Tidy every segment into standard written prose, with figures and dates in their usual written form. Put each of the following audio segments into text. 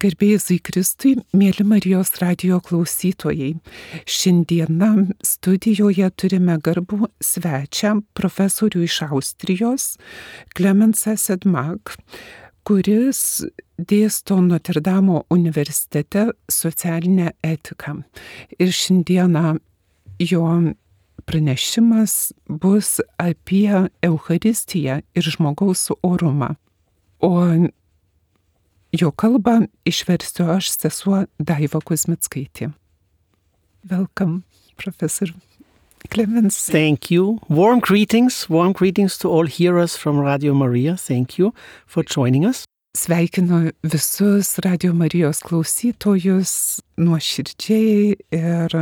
Garbėjai Kristui, mėly Marijos radijo klausytojai. Šiandieną studijoje turime garbų svečią, profesorių iš Austrijos, Klemensą Sedmak, kuris dėsto Notre Dame universitete socialinę etiką. Ir šiandieną jo pranešimas bus apie Eucharistiją ir žmogaus orumą. O jo kalbą išversiu aš, sesuo Daiva Kuzmickaitė. Welcome, Professor Clemens. Thank you. Warm greetings to all hearers from Radio Maria. Thank you for joining us. Sveikinu visus Radio Marijos klausytojus nuoširdžiai ir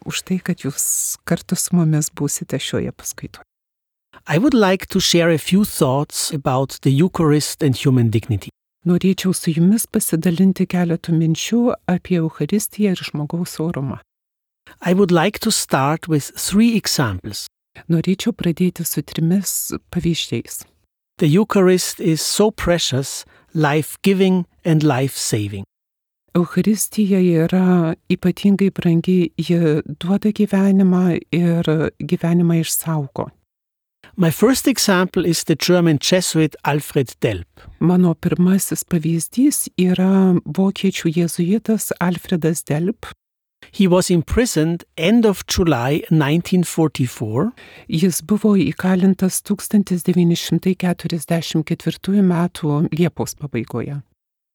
už tai, kad jūs kartu su mumis būsite šioje paskaitoje. I would like to share a few thoughts about the Eucharist and human dignity. Norėčiau su jumis pasidalinti keletų minčių apie Eucharistiją ir žmogaus orumą. I would like to start with 3 examples. Norėčiau pradėti su 3 pavyzdžiais. The Eucharist is so precious, life-giving and life-saving. Eucharistija yra ypatingai brangi, ji duoda gyvenimą ir gyvenimą išsaugo. My first example is the German Jesuit Alfred Delp. Mano pirmasis pavyzdys yra vokiečių jėzuitas Alfredas Delp. He was imprisoned end of July 1944. Jis buvo įkalintas 1944 metų Liepos pabaigoje.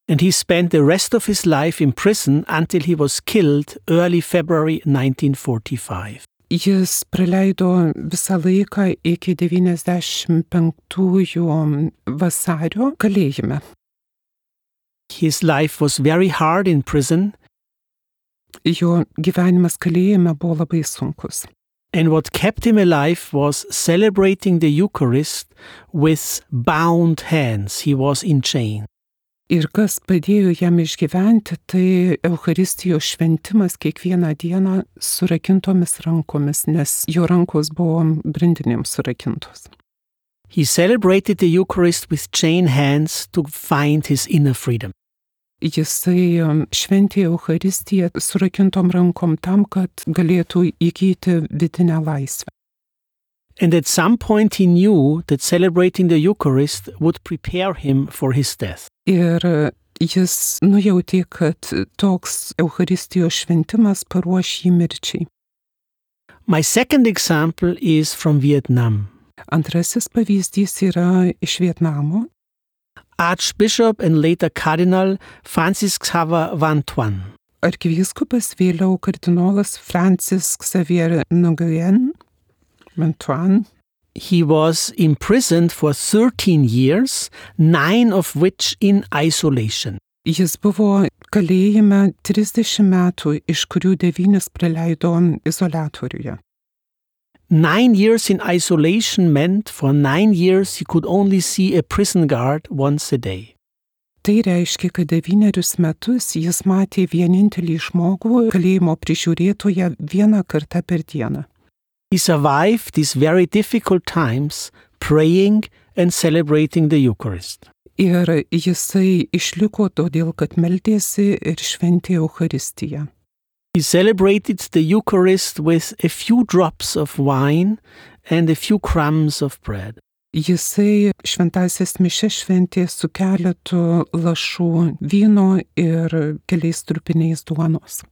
And he spent the rest of his life in prison until he was killed early February 1945. Jis praleido visą laiką iki 95 vasario kalėjime. His life was very hard in prison. Jo gyvenimas kalėjime buvo labai sunkus. And what kept him alive was celebrating the Eucharist with bound hands. He was in chains. Ir kas padėjo jam išgyventi, tai Eucharistijos šventimas kiekvieną dieną surakintomis rankomis, nes jo rankos buvo grindinėms surakintos. He celebrated the Eucharist with chained hands to find his inner freedom. Jisai šventė Eucharistiją surakintom rankom tam, kad galėtų įgyti vidinę laisvę. And at some point he knew that celebrating the Eucharist would prepare him for his death. Ir jis nujautė, kad toks Eucharistijos šventimas paruoš jį mirčiai. My second example is from Vietnam. Antrasis pavyzdys yra iš Vietnamo. Archbishop and later Cardinal Francis Xavier Van Thuan. Arkivyskupas, vėliau kardinolas Francis Xavier Nguyen Van Thuan. He was imprisoned for 13 years, 9 of which in isolation. Jis buvo kalėjime 30 metų, iš kurių 9 praleido izoliatoriuje. 9 years in isolation meant for 9 years he could only see a prison guard once a day. Tai reiškia, kad 9 metus jis matė vienintelį žmogų kalėjimo prižiūrėtoją 1 kartą per dieną. He survived these very difficult times praying and celebrating the Eucharist. Ir jisai išliko todėl, kad meldėsi ir šventė Eucharistiją. He celebrated the Eucharist with a few drops of wine and a few crumbs of bread. Jisai šventąsias mišias šventė su keletu lašų vyno ir keliais trupiniais duonos.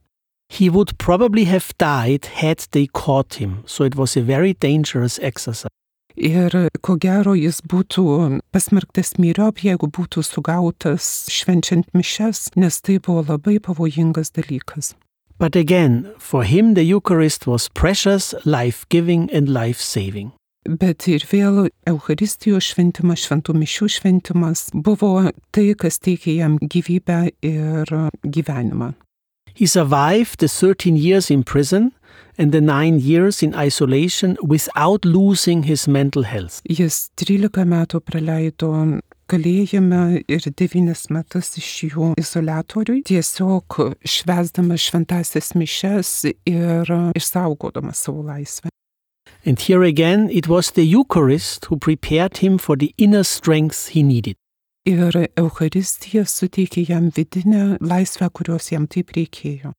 He would probably have died had they caught him, so it was a very dangerous exercise. Ir ko gero jis būtų pasmerktas myriop, jeigu būtų sugautas švenčiant mišias, nes tai buvo labai pavojingas dalykas. But again, for him the Eucharist was precious, life-giving and life-saving. Bet ir vėl Eucharistijos šventimas, šventų mišių šventimas buvo tai, kas teikė jam gyvybę ir gyvenimą. He survived the 13 years in prison and the 9 years in isolation without losing his mental health. Jis 13 metų praleido kalėjime ir 9 metus iš jų izoliatoriui, tiesiog švęsdamas šventąsias mišias ir išsaugodamas savo laisvę. And here again, it was the Eucharist who prepared him for the inner strength he needed. Ir Eucharistija suteikė jam vidinę laisvę, kurios jam taip reikėjo.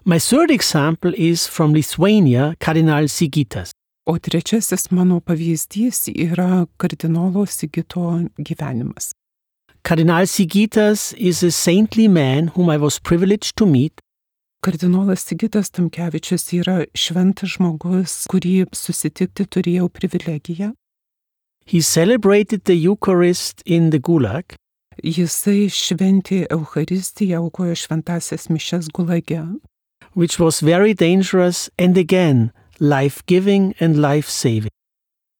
My third example is from Lithuania, Kardinal Sigitas. O trečiasis mano pavyzdys yra kardinolo Sigito gyvenimas. Kardinal Sigitas is a saintly man whom I was privileged to meet. Kardinolas Sigitas Tamkevičius yra šventas žmogus, kurį susitikti turėjau privilegiją. He celebrated the Eucharist in the Gulag. Jisai šventė Eucharistiją, aukojo šventąsias mišias Gulage, which was very dangerous and again life-giving and life-saving.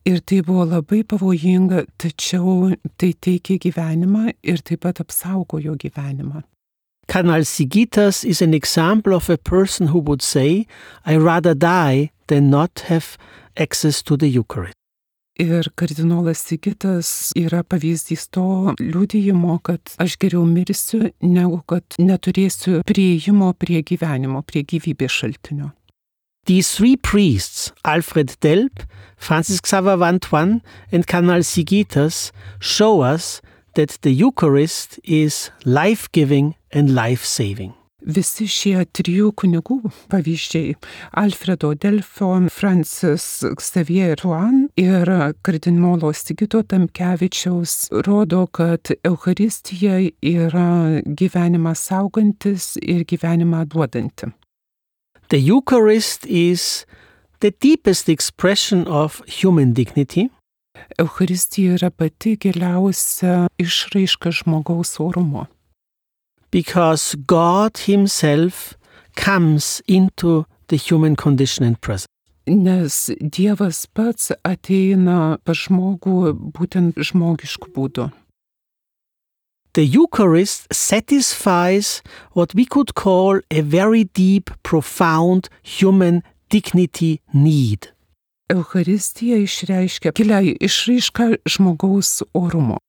Ir tai buvo labai pavojinga, tačiau tai teikė gyvenimą ir taip pat apsaugojo gyvenimą. Kardinal Sigitas is an example of a person who would say, I rather die than not have access to the Eucharist. Ir kardinolas Sigitas yra pavyzdys to liudijimo, kad aš geriau mirsiu, negu kad neturėsiu prieimo prie gyvenimo, prie gyvybės šaltinio. These three priests, Alfred Delp, Francis Xaver Vantuan, and Kardinal Sigitas, show us that the Eucharist is life-giving and life-saving. Visi šie trijų kunigų pavyzdžiai Alfredo Delfo, Francis Xavier Vantuan ir kardinolo Sigito Tamkevičiaus rodo, kad Eucharistija yra gyvenimą saugantis ir gyvenimą duodanti. The Eucharist is the deepest expression of human dignity. Eucharistija yra pati giliausia išraiška žmogaus orumo. Because God himself comes into the human condition and presence. Nes Dievas pats ateina pas žmogų būtent žmogišku būdu. The Eucharist satisfies what we could call a very deep, profound human dignity need. Eucharistija išreiškia gilią išraišką žmogaus orumo.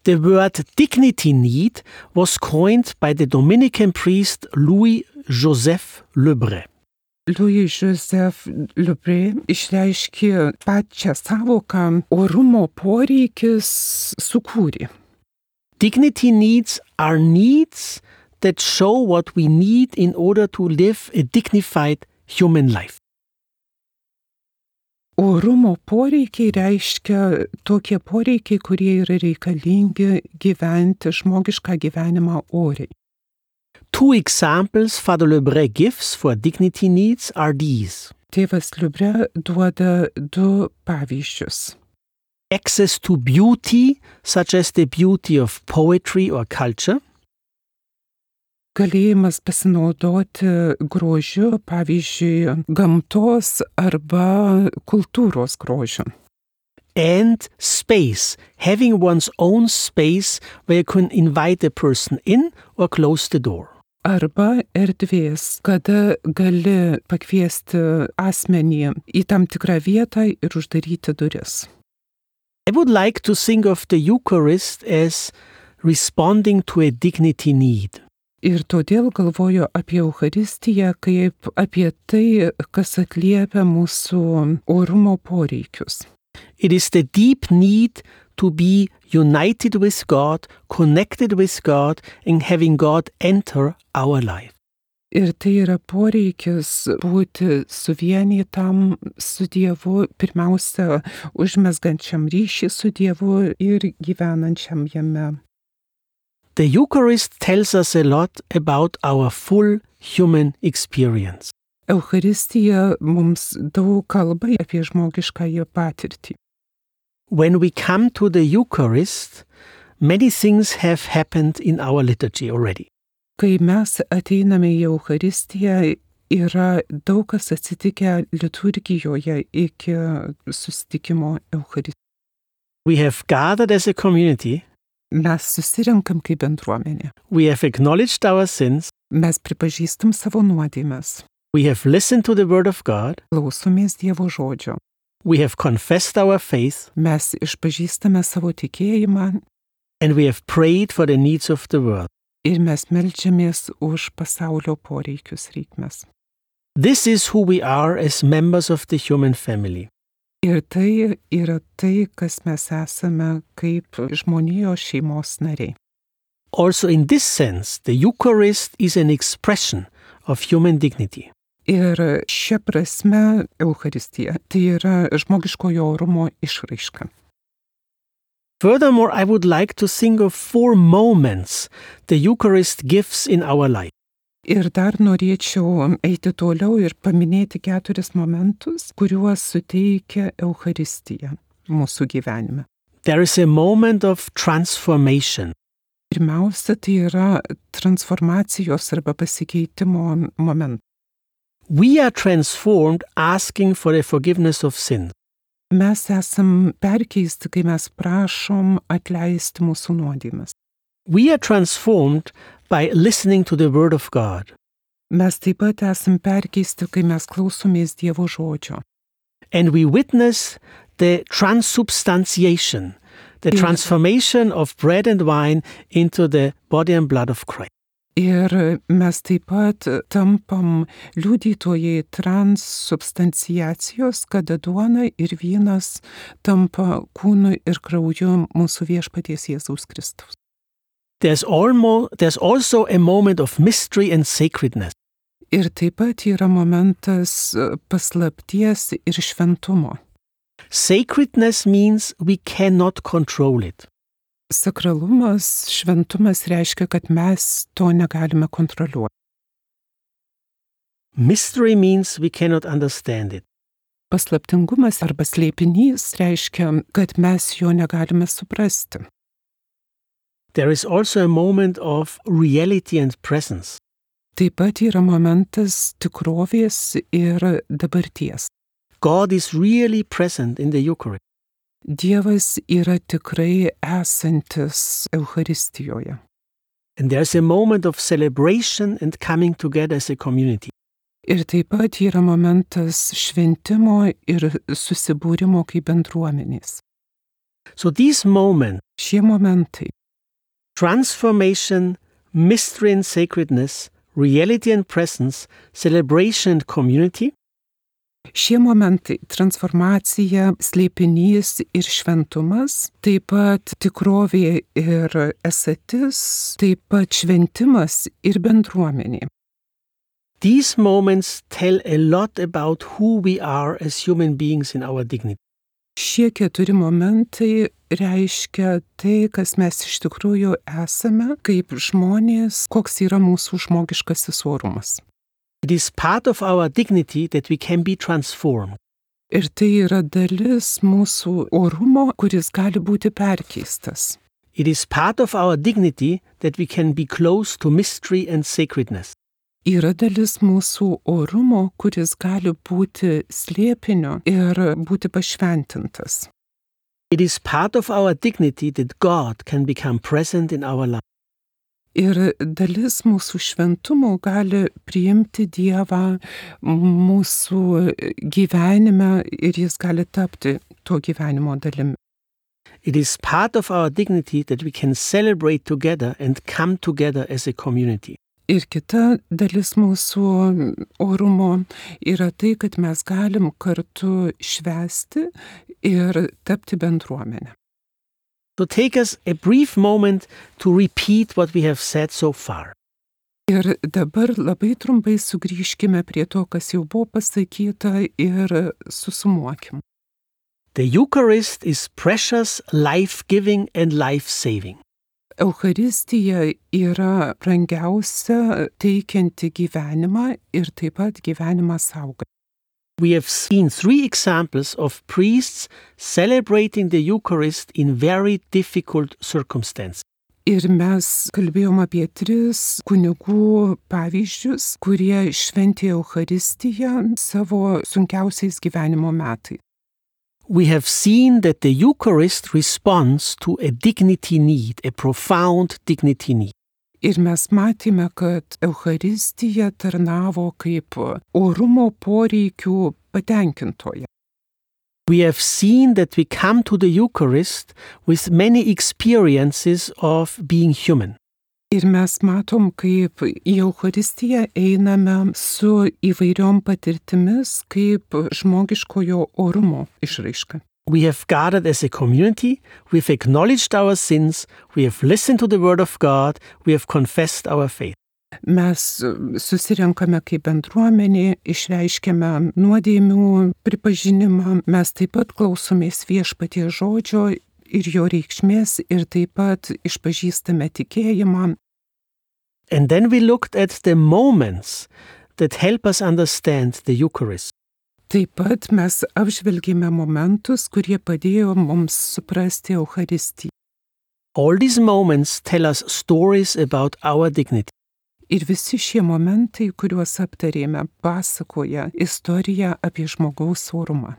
The word dignity need was coined by the Dominican priest Louis-Joseph Lebré. Louis-Joseph Lebré išreiškė pačią savoką orumo poreikis sukūrė. Dignity needs are needs that show what we need in order to live a dignified human life. Orumo poreikiai reiškia tokie poreikiai, kurie yra reikalingi gyventi žmogišką gyvenimą oriai. Two examples Father Lebré gives for dignity needs are these. Tėvas Lebré duoda du pavyzdžius. Access to beauty, such as the beauty of poetry or culture. Galėjimas pasinaudoti grožiu, pavyzdžiui, gamtos arba kultūros grožiu. And space, having one's own space where you can invite a person in or close the door. Arba erdvės, kada gali pakviesti asmenį į tam tikrą vietą ir uždaryti duris. I would like to think of the Eucharist as responding to a dignity need. Ir todėl galvoju apie Eucharistiją kaip apie tai, kas atliepia mūsų orumo poreikius. It is the deep need to be united with God, connected with God, and having God enter our life. Ir tai yra poreikis būti suvienytam su Dievu, pirmiausia, užmezgančiam ryšį su Dievu ir gyvenančiam jame. The Eucharist tells us a lot about our full human experience. Eucharistija mums daug kalba apie žmogiškąją patirtį. When we come to the Eucharist, many things have happened in our liturgy already. Kai mes ateiname į Eucharistiją, yra daug kas atsitikę liturgijoje iki susitikimo Eucharistijoje. We have gathered as a community. Mes susirenkam kaip bendruomenė. We have acknowledged our sins. Mes pripažįstam savo nuodėmes. We have listened to the word of God. Klausomės Dievo žodžio. We have confessed our faith. Mes išpažįstame savo tikėjimą. And we have prayed for the needs of the world. Ir mes meldžiamės už pasaulio poreikius reikmes. This is who we are as members of the human family. Ir tai yra tai, kas mes esame kaip žmonijos šeimos nariai. Also in this sense, the Eucharist is an expression of human dignity. Ir šia prasme Eucharistija tai yra žmogiškojo orumo išraiška. Furthermore, I would like to think of 4 moments the Eucharist gives in our life. Ir dar norėčiau eiti toliau ir paminėti 4 momentus, kuriuos suteikia Eucharistija mūsų gyvenime. There is a moment of transformation. Pirmiausia, tai yra transformacijos arba pasikeitimo momentas. We are transformed asking for the forgiveness of sin. Mes esam perkeisti, kai mes prašom atleisti mūsų nuodėmes. We are transformed by listening to the Word of God. Mes taip pat esam perkeisti, kai mes klausomės Dievo žodžio. And we witness the transubstantiation, the transformation of bread and wine into the body and blood of Christ. Ir mes taip pat tampam liudytojai transubstanciacijos, kada duona ir vynas tampa kūnu ir krauju mūsų viešpaties Jėzaus Kristaus. There's also a moment of mystery and sacredness. Ir taip pat yra momentas paslapties ir šventumo. Sacredness means we cannot control it. Sakralumas, šventumas reiškia, kad mes to negalime kontroliuoti. Mystery means we cannot understand it. Paslaptingumas arba slėpinys reiškia, kad mes jo negalime suprasti. There is also a moment of reality and presence. Taip pat yra momentas tikrovės ir dabarties. God is really present in the Eucharist. Dievas yra tikrai esantis Eucharistijoje. And there's a moment of celebration and coming together as a community. Ir taip pat yra momentas šventimo ir susibūrimo kaip bendruomenės. So these moments, Šie momentai, transformation, mystery and sacredness, reality and presence, celebration and community, šie momentai – transformacija, slėpinys ir šventumas, taip pat tikrovė ir esatis, taip pat šventimas ir bendruomenė. these moments tell a lot about who we are as human beings in our dignity. Šie 4 momentai reiškia tai, kas mes iš tikrųjų esame, kaip žmonės, koks yra mūsų žmogiškasis orumas. It is part of our dignity that we can be transformed. Ir tai yra dalis mūsų orumo, kuris gali būti perkeistas. It is part of our dignity that we can be close to mystery and sacredness. Yra dalis mūsų orumo, kuris gali būti slėpinio ir būti pašventintas. It is part of our dignity that God can become present in our life. Ir dalis mūsų šventumo gali priimti Dievą mūsų gyvenime ir jis gali tapti to gyvenimo dalimi. It is part of our dignity that we can celebrate together and come together as a community. Ir kita dalis mūsų orumo yra tai, kad mes galim kartu švęsti ir tapti bendruomenę. So take us a brief moment to repeat what we have said so far. Ir dabar labai trumpai sugrįžkime prie to, kas jau buvo pasakyta ir susumuokim. The Eucharist is precious, life-giving and life-saving. Eucharistija yra brangiausia teikianti gyvenimą ir taip pat gyvenimą saugai. We have seen 3 examples of priests celebrating the Eucharist in very difficult circumstances. Ir mes kalbėjom apie 3 kunigų pavyzdžius, kurie šventė Eucharistiją savo sunkiausiais gyvenimo metais. We have seen that the Eucharist responds to a dignity need, a profound dignity need. Ir mes matėme, kad Eucharistija tarnavo kaip orumo poreikių patenkintoja. We have seen that we come to the Eucharist with many experiences of being human. Ir mes matom, kaip į Eucharistiją einame su įvairiom patirtimis, kaip žmogiškojo orumo išraiška. We have gathered as a community, we've acknowledged our sins, we have listened to the Word of God, we have confessed our faith. Mes susirenkame kaip bendruomenė, išreiškiame nuodėmių pripažinimą, mes taip pat klausomės Viešpaties žodžio ir jo reikšmės ir taip pat išpažįstame tikėjimą. And then we looked at the moments that help us understand the Eucharist. Taip pat mes apžvelgėme momentus, kurie padėjo mums suprasti Eucharistiją. All these moments tell us stories about our dignity. Ir visi šie momentai, kuriuos aptarėme, pasakoja istoriją apie žmogaus orumą.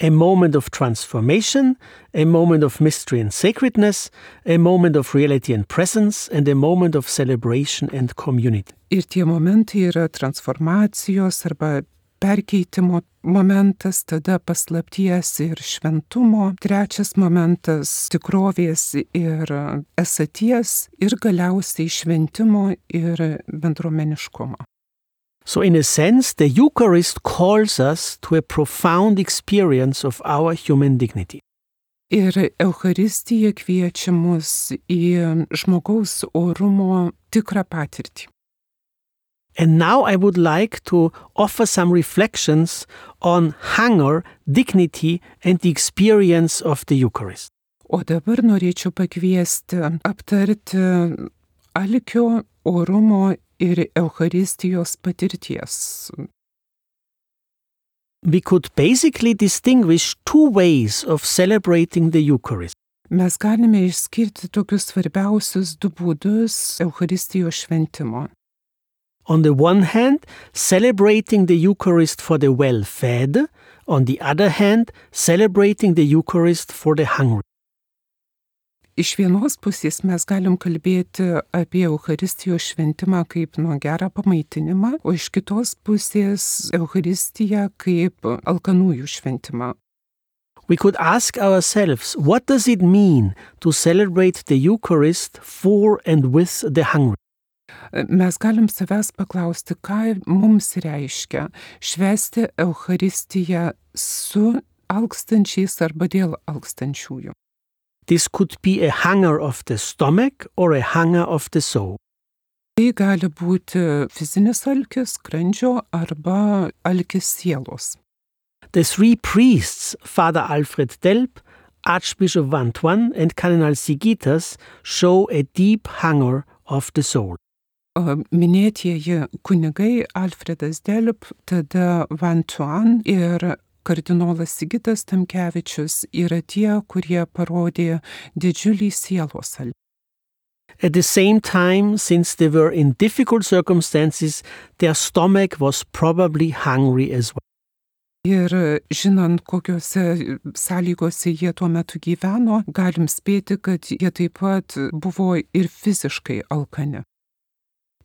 A moment of transformation, a moment of mystery and sacredness, a moment of reality and presence, and a moment of celebration and community. Ir tie momentai yra transformacijos arba perkeitimo momentas, tada paslapties ir šventumo, trečias momentas tikrovės ir esaties ir galiausiai šventimo ir bendruomeniškumo. So in a sense, the Eucharist calls us to a profound experience of our human dignity. Ir Eucharistija kviečia mus į žmogaus orumo tikrą patirtį. And now I would like to offer some reflections on hunger, dignity, and the experience of the Eucharist. O dabar norėčiau pakviesti aptarti alkio, orumo ir Eucharistijos patirties. We could basically distinguish two ways of celebrating the Eucharist. Mes galime išskirti tokius svarbiausius du būdus Eucharistijos šventimo. On the one hand, celebrating the Eucharist for the well-fed. On the other hand, celebrating the Eucharist for the hungry. Iš vienos pusės mes galim kalbėti apie Eucharistijos šventimą kaip nuo gerą pamaitinimą, o iš kitos pusės Eucharistiją kaip alkanųjų šventimą. We could ask ourselves, what does it mean to celebrate the Eucharist for and with the hungry? Mes galim savęs paklausti, ką mums reiškia švęsti Eucharistiją su alkstančiais arba dėl alkstančiųjų. This could be a hunger of the stomach or a hunger of the soul. Tai gali būti fizinis alkis, skrandžio arba alkis sielos. The three priests, Father Alfred Delp, Archbishop Vantuan, and Cardinal Sigitas, show a deep hunger of the soul. Minėtieji kunigai Alfredas Delp, tada Vantuan ir kardinolas Sigitas Tamkevičius yra tie, kurie parodė didžiulį sielos alkį. At the same time, since they were in difficult circumstances, their stomach was probably hungry as well. Ir žinant, kokiuose sąlygose jie tuo metu gyveno, galim spėti, kad jie taip pat buvo ir fiziškai alkani.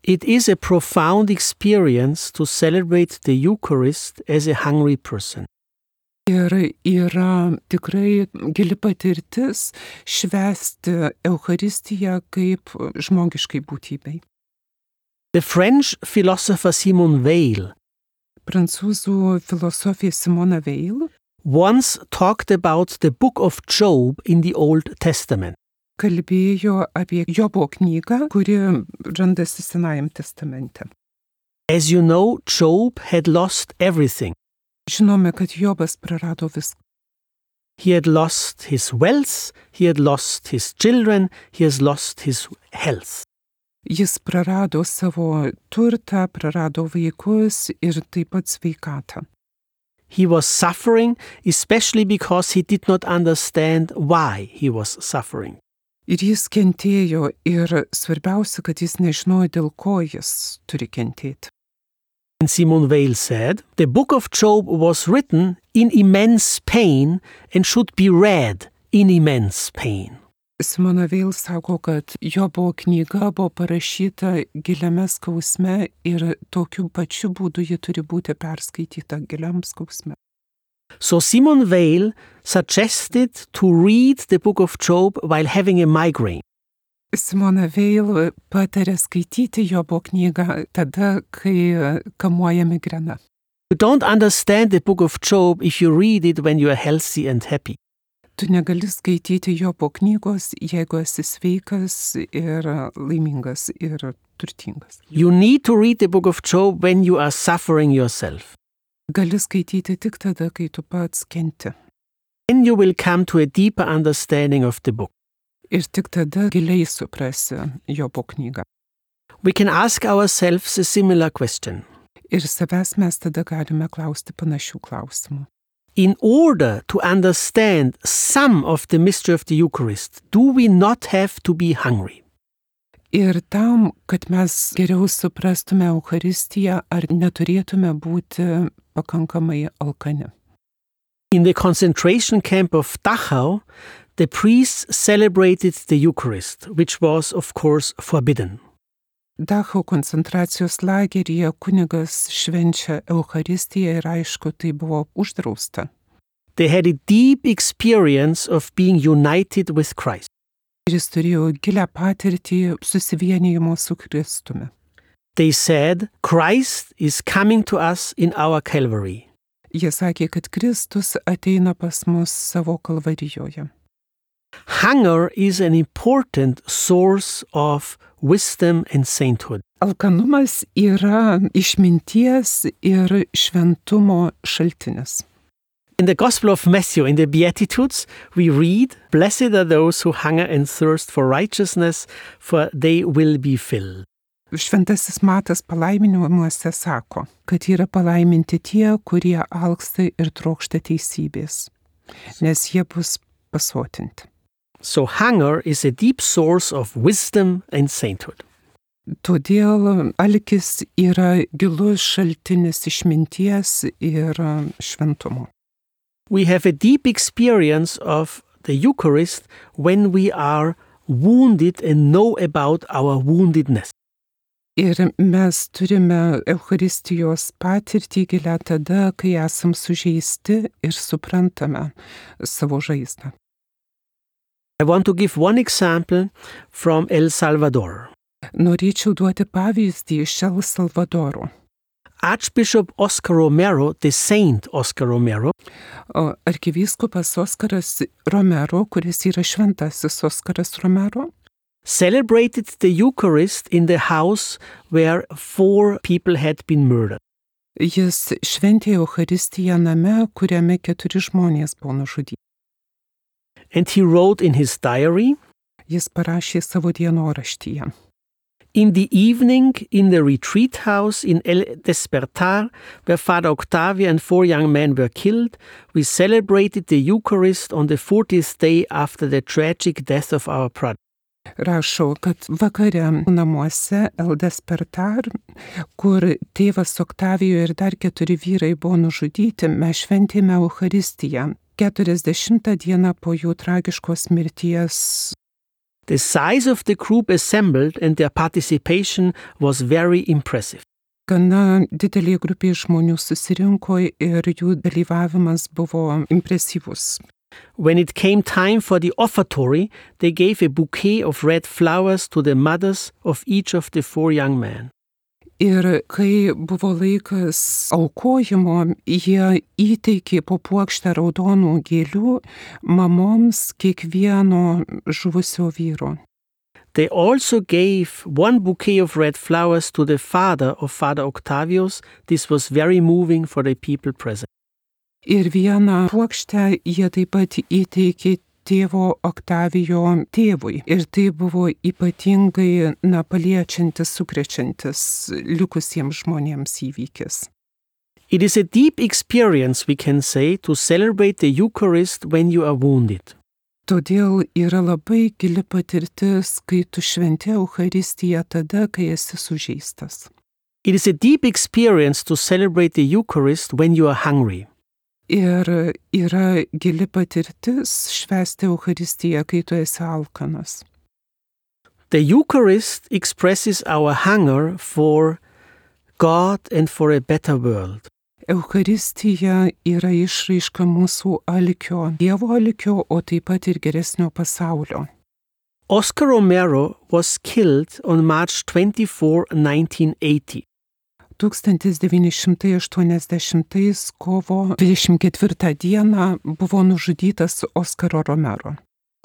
It is a profound experience to celebrate the Eucharist as a hungry person. Ir yra tikrai gili patirtis švęsti Eucharistiją kaip žmogiškai būtybei. The French philosopher Simone Weil Prancūzų filosofė Simona Weil once talked about the book of Job in the Old Testament. kalbėjo apie Jobo knygą, kuri randasi Senajam testamente. As you know, Job had lost everything. Žinome, kad Jobas prarado viską. He had lost his wealth, he had lost his children, he has lost his health. Jis prarado savo turtą, prarado vaikus ir taip pat sveikatą. He was suffering, especially because he did not understand why he was suffering. Ir jis kentėjo ir svarbiausia, kad jis nežinojo, dėl ko jis turi kentėti. And Simone Weil said, the book of Job was written in immense pain and should be read in immense pain. Simona Weil sako, kad Jobo knyga buvo parašyta giliame skausme ir tokiu pačiu būdu ji turi būti perskaityta giliam skausme. So Simone Weil suggested to read the book of Job while having a migraine. Simona Veil patarė skaityti Jobo knygą tada, kai kamuoja migrena. You don't understand the book of Job if you read it when you are healthy and happy. Tu negali skaityti Jobo knygos, jeigu esi sveikas ir laimingas ir turtingas. You need to read the book of Job when you are suffering yourself. Gali skaityti tik tada, kai tu pats kenti. Then you will come to a deeper understanding of the book. Ir tik tada giliai suprasi Jobo knygą. We can ask ourselves a similar question. Ir savęs mes tada galime klausti panašių klausimų. In order to understand some of the mystery of the Eucharist, do we not have to be hungry? Ir tam, kad mes geriau suprastume Eucharistiją, ar neturėtume būti pakankamai alkani. In the concentration camp of Dachau, the priests celebrated the Eucharist, which was, of course, forbidden. Dachau koncentracijos lageryje kunigas švenčia Eucharistiją ir aišku, tai buvo uždrausta. They had a deep experience of being united with Christ. Ir jis turėjo gilią patirtį susivienijimo su Kristumi. They said, Christ is coming to us in our Calvary. Jie sakė, kad Kristus ateina pas mus savo kalvarijoje. Hunger is an important source of wisdom and sainthood. Alkanumas yra išminties ir šventumo šaltinis. In the Gospel of Matthew, in the Beatitudes, we read, Blessed are those who hunger and thirst for righteousness, for they will be filled. Šventasis Matas palaiminimuose sako, kad yra palaiminti tie, kurie alksta ir trokšta teisybės, nes jie bus pasotinti. So hunger is a deep source of wisdom and sainthood. Todėl alkis yra gilus šaltinis išminties ir šventumo. We have a deep experience of the Eucharist when we are wounded and know about our woundedness. Ir mes turime Eucharistijos patirtį gilę tada, kai esam sužeisti ir suprantame savo žaizdą. I want to give one example from El Salvador. Norėčiau duoti pavyzdį iš El Salvadoro. Archbishop Oscar Romero, the saint Oscar Romero, Arkivyskupas Oskaras Romero, kuris yra šventasis Oskaras Romero, celebrated the Eucharist in the house where 4 people had been murdered. Jis šventė Eucharistiją name, kuriame 4 žmonės buvo nužudyti. And he wrote in his diary, Jis parašė savo dienoraštyje. In the evening, in the retreat house in El Despertar, where Father Octavio and 4 young men were killed, we celebrated the Eucharist on the 40th day after the tragic death of our brother. Rašo, kad vakare namuose El Despertar, kur tėvas Oktavijo ir dar 4 vyrai buvo nužudyti, mes šventėme Eucharistiją 40 dieną po jų tragiškos mirties. The size of the group assembled and their participation was very impressive. Gana didelė grupė žmonių susirinko ir jų dalyvavimas buvo impresyvus. When it came time for the offertory, they gave a bouquet of red flowers to the mothers of each of the 4 young men. Ir kai buvo laikas aukojimo, jie įteikė po puokštę raudonų gėlių mamoms kiekvieno žuvusio vyro. They also gave 1 bouquet of red flowers to the father of Father Octavius. This was very moving for the people present. Ir vieną puokštę jie taip pat įteikė tėvo Oktavijo tėvui. Ir tai buvo ypatingai paliečiantis, sukrečiantis likusiems žmonėms įvykis. It is a deep experience, we can say, to celebrate the Eucharist when you are wounded. Todėl yra labai gili patirtis, kai tu šventi Eucharistiją tada, kai esi sužeistas. It is a deep experience to celebrate the Eucharist when you are hungry. Ir yra gili patirtis švęsti Eucharistiją, kai tu esi alkanas. The Eucharist expresses our hunger for God and for a better world. Eucharistija yra išraiška mūsų alkio, Dievo alkio, o taip pat ir geresnio pasaulio. Oscar Romero was killed on March 24, 1980. 1980 kovo 24 dieną buvo nužudytas Oskaro Romero.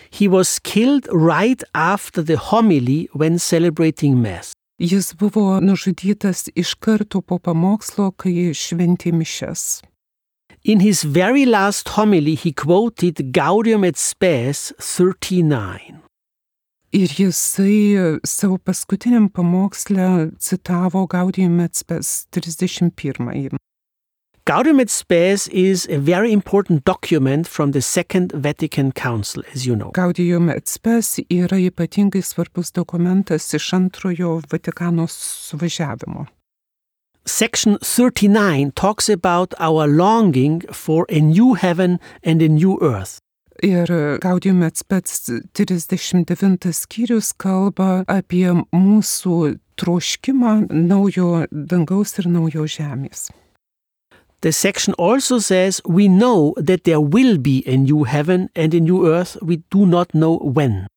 He was killed right after the homily when celebrating Mass. Jis buvo nužudytas iš karto po pamokslo, kai šventė mišias. In his very last homily, he quoted Gaudium et Spes 39. Ir jisai savo paskutiniam pamoksle citavo Gaudium et Spes 31. Gaudium et Spes is a very important document from the Second Vatican Council, as you know. Gaudium et Spes yra ypatingai svarbus dokumentas iš antrojo Vatikano suvažiavimo. Section 39 talks about our longing for a new heaven and a new earth. Ir Gaudium et Spes 39 skyrius kalba apie mūsų troškimą naujo dangaus ir naujo žemės. The section also says we know that there will be a new heaven and a new earth, we do not know when.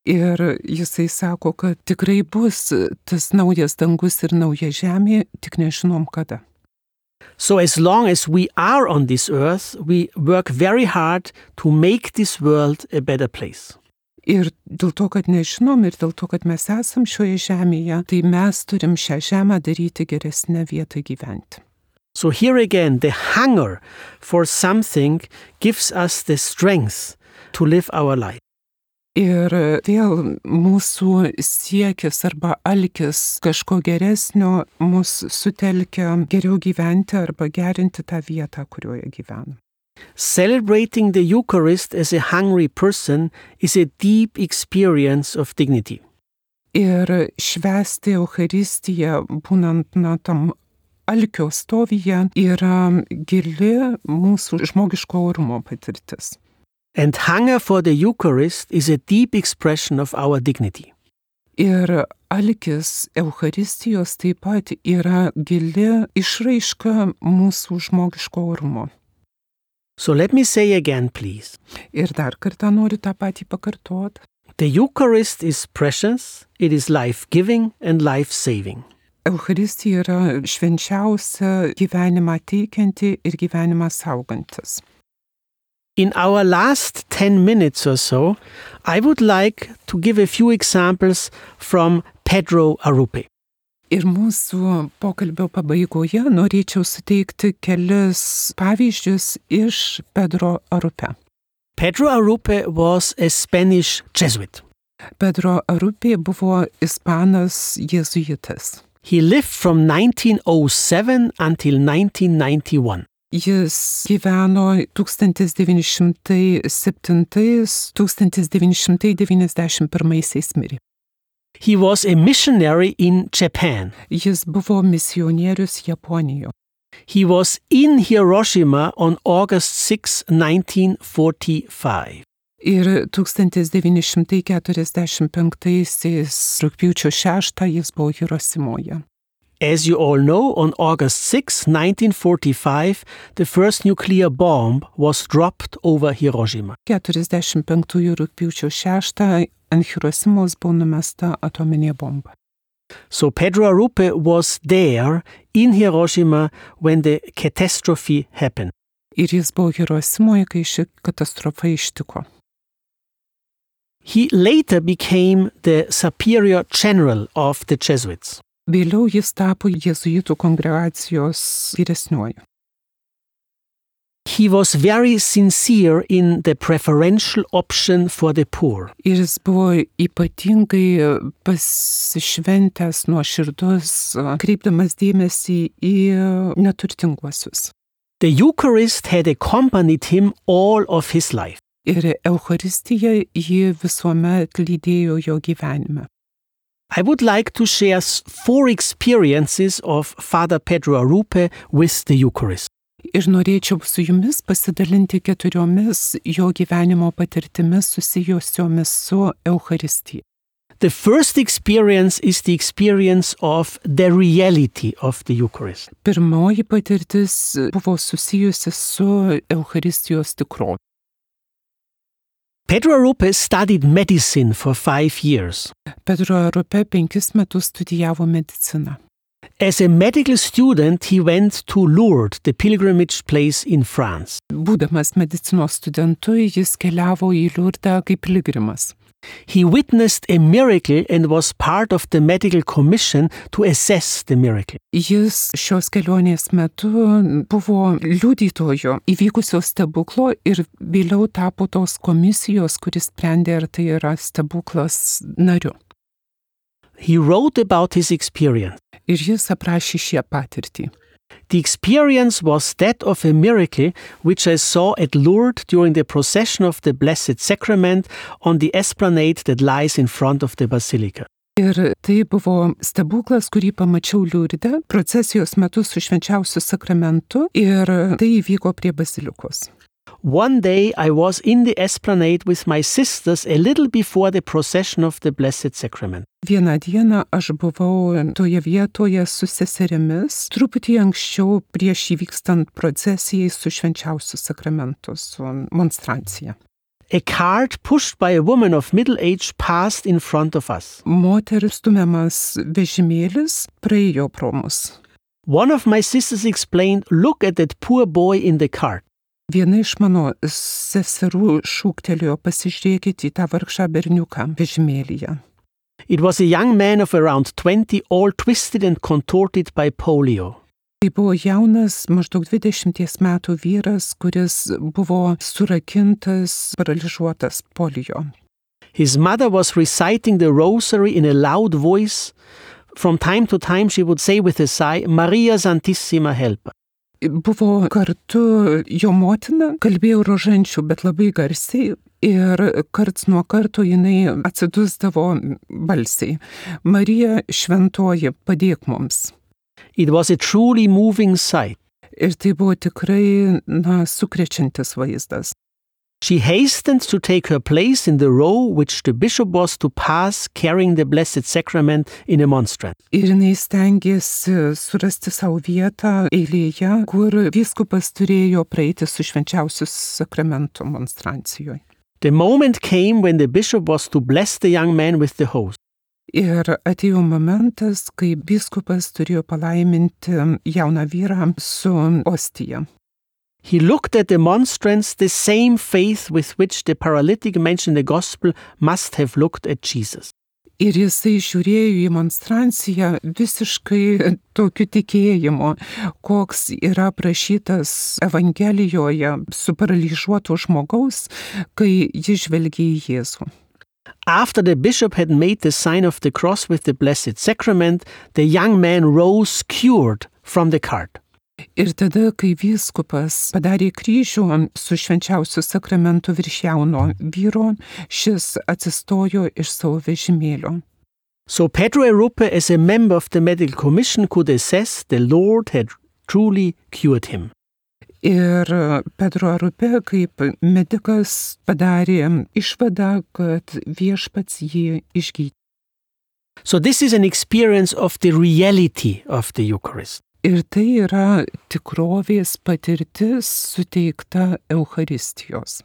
Ir jisai sako, kad tikrai bus tas naujas dangus ir nauja žemė, tik nežinom kada. So as long as we are on this earth, we work very hard to make this world a better place. Ir dėl to, kad nežinom ir dėl to, kad mes esam šioje žemėje, tai mes turim šią žemę daryti geresnę vietą gyventi. So here again, the hunger for something gives us the strength to live our life. Ir vėl mūsų siekis arba alkis kažko geresnio mus sutelkia geriau gyventi arba gerinti tą vietą, kurioje gyvenam. Celebrating the Eucharist as a hungry person is a deep experience of dignity. Ir švęsti Eucharistiją, būnant tam alkio stovyje, yra gili mūsų žmogiško orumo patirtis. And hunger for the Eucharist is a deep expression of our dignity. Ir alkis Eucharistijos taip pat yra gili išraiška mūsų žmogiško orumo. So let me say again, please. Ir dar kartą noriu tą patį pakartoti. The Eucharist is precious, it is life-giving and life-saving. Eucharistija yra švenčiausia, gyvenimą teikianti ir gyvenimą saugantis. In our last 10 minutes or so, I would like to give a few examples from Pedro Arrupe. Ir mūsų pokalbio pabaigoje norėčiau suteikti kelis pavyzdžius iš Pedro Arrupe. Pedro Arrupe was a Spanish Jesuit. Pedro Arrupe buvo ispanas jėzuitas. He lived from 1907 until 1991. Jis gyveno 1907–1991 mirė. He was a missionary in Japan. Jis buvo misionierius Japonijoje. He was in Hiroshima on August 6, 1945. Ir 1945 rugpjūčio 6 jis buvo Hirosimoje. As you all know, on August 6, 1945, the first nuclear bomb was dropped over Hiroshima. 45 rugpjūčio 6 ant Hirosimos buvo numesta atominė bomba. So Pedro Arrupe was there in Hiroshima when the catastrophe happened. Ir jis buvo Hirosimoje, kai ši katastrofa ištiko. He later became the superior general of the Jesuits. Vėliau jis tapo jėzuitų kongregacijos vyresniuoju. He was very sincere in the preferential option for the poor. Ir jis buvo ypatingai pasišventęs, nuoširdus, kreipdamas dėmesį į neturtinguosius. The Eucharist had accompanied him all of his life. Ir Eucharistija jį visuomet lydėjo jo gyvenime. I would like to share 4 experiences of Father Pedro Arrupe with the Eucharist. Ir norėčiau su jumis pasidalinti 4 jo gyvenimo patirtimis susijusiomis su Eucharistija. The first experience is the experience of the reality of the Eucharist. Pirmoji patirtis buvo susijusi su Eucharistijos tikrove. Pedro Arrupe studied medicine for 5 years. Pedro Arrupe 5 metus studijavo mediciną. As a medical student, he went to Lourdes, the pilgrimage place in France. Būdamas medicinos studentu, jis keliavo į Liurdą kaip piligrimas. He witnessed a miracle and was part of the medical commission to assess the miracle. Jis šios kelionės metu buvo liudytojo įvykusio stebuklo ir vėliau tapo tos komisijos, kuris sprendė, ar tai yra stebuklas, nariu. He wrote about his experience. Ir jis aprašė šią patirtį. The experience was that of a miracle which I saw at Lourdes during the procession of the Blessed Sacrament on the esplanade that lies in front of the basilica. Ir tai buvo stebuklas, kurį pamačiau Liurde procesijos metu su švenčiausiu sakramentu ir tai įvyko prie bazilikos. One day I was in the esplanade with my sisters a little before the procession of the Blessed Sacrament. Vieną dieną aš buvau toje vietoje su seserimis, truputį anksčiau prieš įvykstant procesijai su švenčiausiu sakramentu, su monstrancija. A cart pushed by a woman of middle age passed in front of us. Moteris stumiamas vežimėlis praėjo pro mus. One of my sisters explained, "Look at that poor boy in the cart." Viena iš mano seserų šūktelėjo, pasižiūrėkite į tą vargšą berniuką vežimėlyje. It was a young man of around 20, all twisted and contorted by polio. Tai buvo jaunas, maždaug 20 metų vyras, kuris buvo surakintas, paralyžiuotas polio. His mother was reciting the rosary in a loud voice. From time to time she would say with a sigh, "Maria Santissima help." Buvo kartu jo motina, kalbėjo rožančių, bet labai garsiai ir karts nuo karto jinai atsidusdavo balsiai. Marija šventoji, padėk mums. It was a truly moving sight. Ir tai buvo tikrai, sukrečiantis vaizdas. She hastened to take her place in the row which the bishop was to pass carrying the Blessed Sacrament in a monstrance. Ir jinai stengėsi surasti savo vietą eilėje, kur vyskupas turėjo praeiti su švenčiausiu sakramentu monstrancijoje. The moment came when the bishop was to bless the young man with the host. Ir atėjo momentas, kai vyskupas turėjo palaiminti jauną vyrą su ostija. He looked at the monstrance, the same faith with which the paralytic mentioned in the gospel must have looked at Jesus. Ir jisai žiūrėjo į monstranciją visiškai tokiu tikėjimu, koks yra prašytas Evangelijoje su paralyžiuotu žmogaus, kai jis žvelgia į Jėzų. After the bishop had made the sign of the cross with the Blessed Sacrament, the young man rose cured from the cart. Ir tada, kai vyskupas padarė kryžių su švenčiausiu sakramentu virš jauno vyro, šis atsistojo iš savo vežimėlio. So Pedro Arrupe, as a member of the medical commission, could assess the Lord had truly cured him. Ir Pedro Arrupe kaip medikas padarė išvadą, kad viešpats jį išgydė. So this is an experience of the reality of the Eucharist. Ir tai yra tikrovės patirtis suteikta Eucharistijos.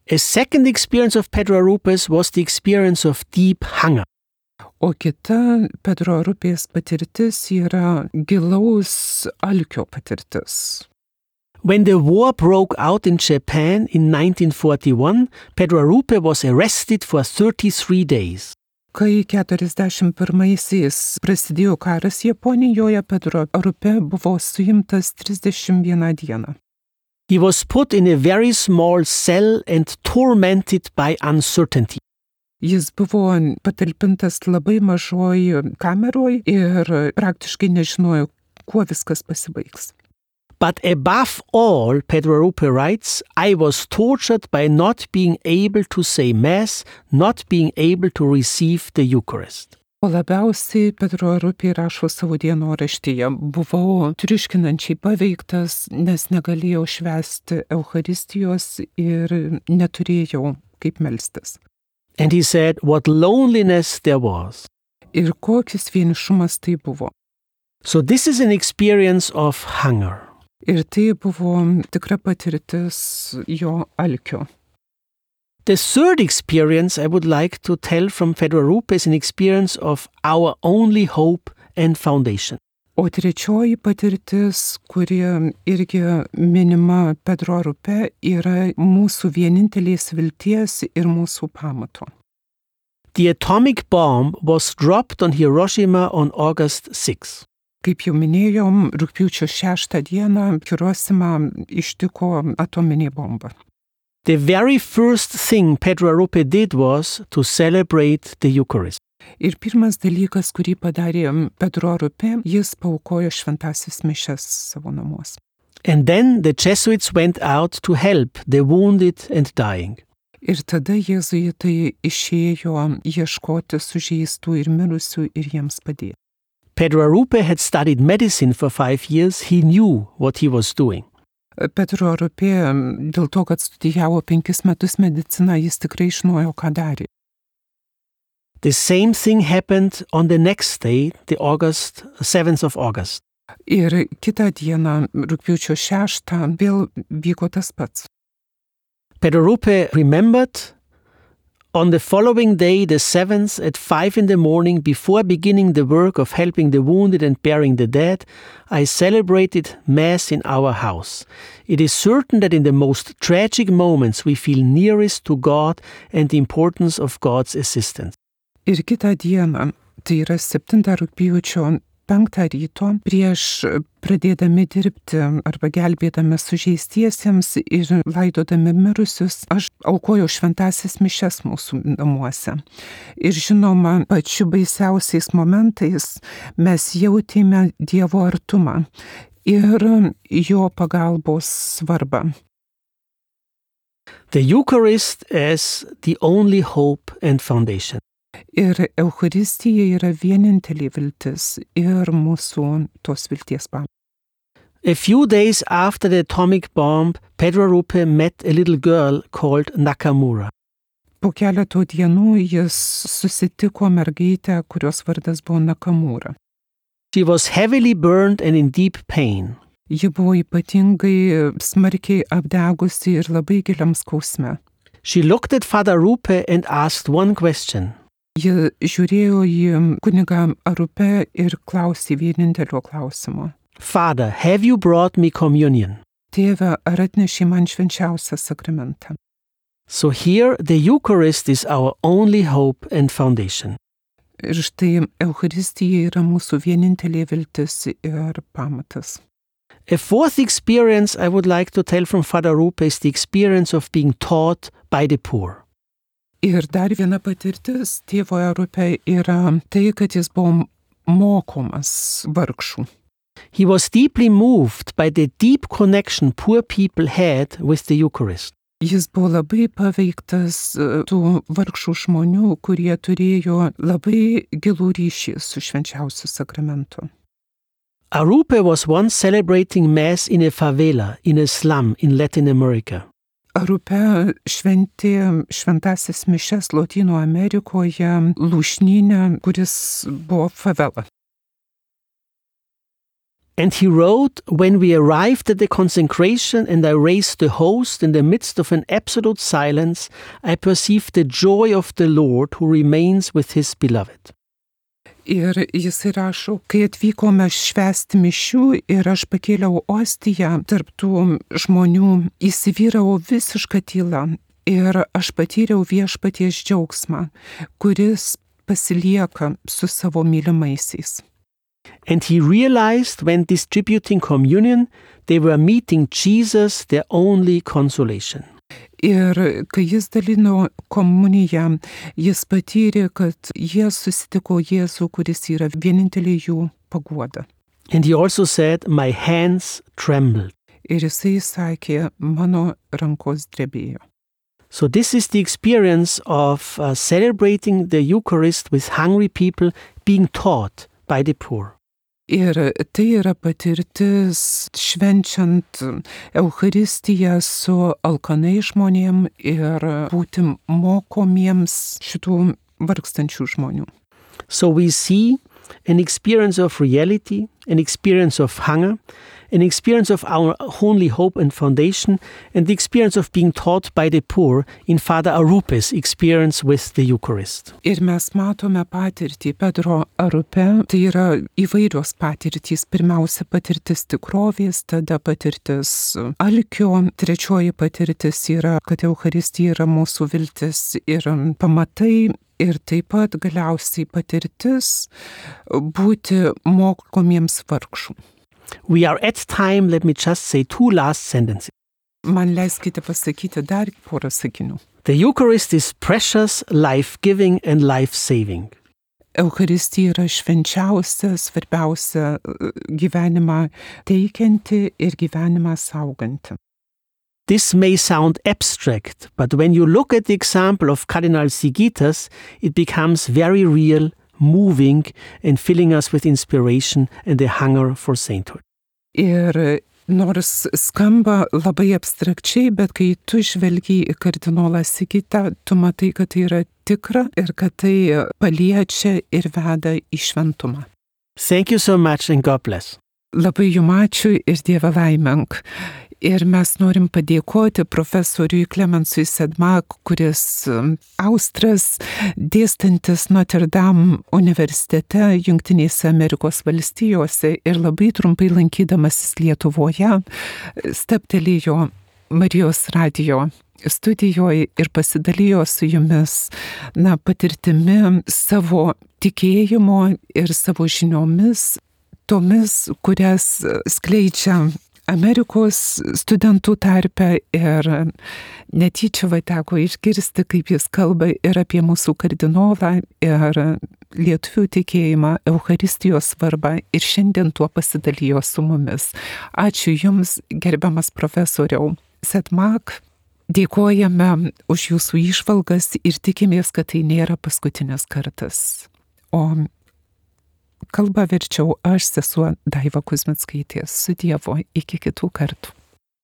A second experience of Pedro Arrupe's was the experience of deep hunger. O kita Pedro Arrupės patirtis yra gilaus alkio patirtis. When the war broke out in Japan in 1941, Pedro Arrupe was arrested for 33 days. Kai 41-aisiais prasidėjo karas Japonijoje, Pedro Arrupe buvo suimtas 31 dieną. He was put in a very small cell and tormented by uncertainty. Jis buvo patalpintas labai mažoj kameroj ir praktiškai nežinojo, kuo viskas pasibaigs. But above all, Pedro Arrupe writes, I was tortured by not being able to say Mass, not being able to receive the Eucharist. O labiausiai Pedro Arrupe rašo savo dienoraštyje, buvau triuškinančiai paveiktas, nes negalėjau švęsti Eucharistijos ir neturėjau kaip melstis. And he said, what loneliness there was. Ir kokis vienišumas tai buvo. So this is an experience of hunger. Ir tai buvo tikra patirtis jo alkio. The third experience I would like to tell from Pedro Arrupe is an experience of our only hope and foundation. O trečioji patirtis, kuri irgi minima Pedro Arrupe, yra mūsų vienintelės vilties ir mūsų pamato. The atomic bomb was dropped on Hiroshima on August 6. Kaip jau minėjom, rugpjūčio 6 dieną Hirošimą ištiko atominė bomba. The very first thing Pedro Arrupe did was to celebrate the Eucharist. Ir pirmas dalykas, kurį padarė Pedro Arrupe, jis paaukojo šventąsias mišias savo namuose. And then the Jesuits went out to help the wounded and dying. Ir tada jėzuitai išėjo ieškoti sužeistų ir mirusių ir jiems padėti. Pedro Arrupe had studied medicine for 5 years. He knew what he was doing. Pedro Arrupe, dėl to, kad studijavo 5 metus mediciną, jis tikrai žinojo, ką darė. The same thing happened on the next day, the 7th of August. Ir kitą dieną, rugpjūčio 6, vėl vyko tas pats. Pedro Arrupe remembered on the following day, the 7th, at 5 in the morning, before beginning the work of helping the wounded and burying the dead, I celebrated Mass in our house. It is certain that in the most tragic moments we feel nearest to God and the importance of God's assistance. Ir kitą dieną, tai yra 7 rugpjūčio 5 ryto, prieš pradėdami dirbti arba gelbėdami sužeistiesiems ir laidodami mirusius, aš aukojau šventąsias mišias mūsų namuose. Ir žinoma, pačiu baisiausiais momentais mes jautėme Dievo artumą ir jo pagalbos svarbą. The Eucharist as the only hope and foundation. Ir Eucharistija yra vienintelė viltis ir mūsų tos vilties pamatas. A few days after the atomic bomb, Pedro Arrupe met a little girl called Nakamura. Po keletų dienų jis susitiko mergaitę, kurios vardas buvo Nakamura. She was heavily burned and in deep pain. Ji buvo ypatingai smarkiai apdegusi ir labai giliam skausme. She looked at Father Arrupe and asked one question. Ji žiūrėjo į kunigą Arrupe ir klausė vienintelio klausimo. Father, have you brought me communion? Tėve, ar atnešė man švenčiausią sakramentą? So here the Eucharist is our only hope and foundation. Ir štai Eucharistija yra mūsų vienintelė viltis ir pamatas. A fourth experience I would like to tell from Father Arrupe is the experience of being taught by the poor. Ir dar viena patirtis tėvo Arrupe yra tai, kad jis buvo mokomas vargšų. He was deeply moved by the deep connection poor people had with the Eucharist. Jis buvo labai paveiktas tų vargšų žmonių, kurie turėjo labai gilų ryšį su švenčiausiu sakramentu. Arrupe was once celebrating Mass in a favela, in a slum in Latin America. Arrupe šventė šventąsias mišias Lotynų Amerikoje lūšnyne, kuris buvo favela. And he wrote, when we arrived at the consecration and I raised the host in the midst of an absolute silence, I perceived the joy of the Lord who remains with his beloved. Ir jis rašo, kai atvykome švęsti mišių ir aš pakėliau ostiją tarp tų žmonių, įsivyravo visiška tyla ir aš patyriau viešpaties džiaugsmą, kuris pasilieka su savo mylimaisiais. And he realized when distributing communion, they were meeting Jesus, their only consolation. Ir kai jis dalino komuniją, jis patyrė, kad jie susitiko Jėzų, kuris yra vienintelė jų paguoda. And he also said, my hands trembled. Ir jisai sakė, mano rankos drebėjo. So this is the experience of celebrating the Eucharist with hungry people, being taught by the poor. Ir tai yra patirtis švenčiant Eucharistiją su alkanai žmonėm ir būti mokomiems šitų vargstančių žmonių. So we see an experience of reality, an experience of hunger, an experience of our only hope and foundation, and the experience of being taught by the poor in Father Arupes' experience with the Eucharist. Ir mes matome patirtį Pedro Arupe, tai yra įvairios patirtys. Pirmiausia patirtis tikrovės, tada patirtis alkio, trečioji patirtis yra, kad Eucharistija yra mūsų viltis ir pamatai. Ir taip pat galiausiai patirtis būti mokomiems vargšų. We are at time, let me just say 2 last sentences. Man leiskite pasakyti dar porą sakinių. The Eucharist is precious, life-giving and life-saving. Eucharistija yra švenčiausia, svarbiausia gyvenimą teikianti ir gyvenimą sauganti. This may sound abstract, but when you look at the example of Cardinal Sigitas, it becomes very real, moving, and filling us with inspiration and a hunger for sainthood. Ir nors skamba labai abstrakčiai, bet kai tu žvelgi į kardinolą Sigitą, tu matai, kad tai yra tikra ir kad tai paliečia ir veda į šventumą. Thank you so much and God bless. Labai jums ačiū ir Dieve laiminг. Ir mes norim padėkoti profesoriui Klemensui Sedmak, kuris Austras, dėstantis Notre Dame universitete Jungtinėse Amerikos valstijose ir labai trumpai lankydamasis Lietuvoje stabtelėjo Marijos radijo studijoje ir pasidalijo su jumis patirtimi savo tikėjimo ir savo žiniomis, tomis, kurias skleidžia Amerikos studentų tarpe, ir netyčia teko išgirsti, kaip jis kalba ir apie mūsų kardinolą, ir lietuvių tikėjimą, Eucharistijos svarbą, ir šiandien tuo pasidalijo su mumis. Ačiū Jums, gerbiamas profesoriau Sedmak. Dėkojame už Jūsų įžvalgas ir tikimės, kad tai nėra paskutinis kartas. O kalbą verčiau aš, sesuo Daiva Kuzmickaitė. Su Dievu, iki kitų kartų.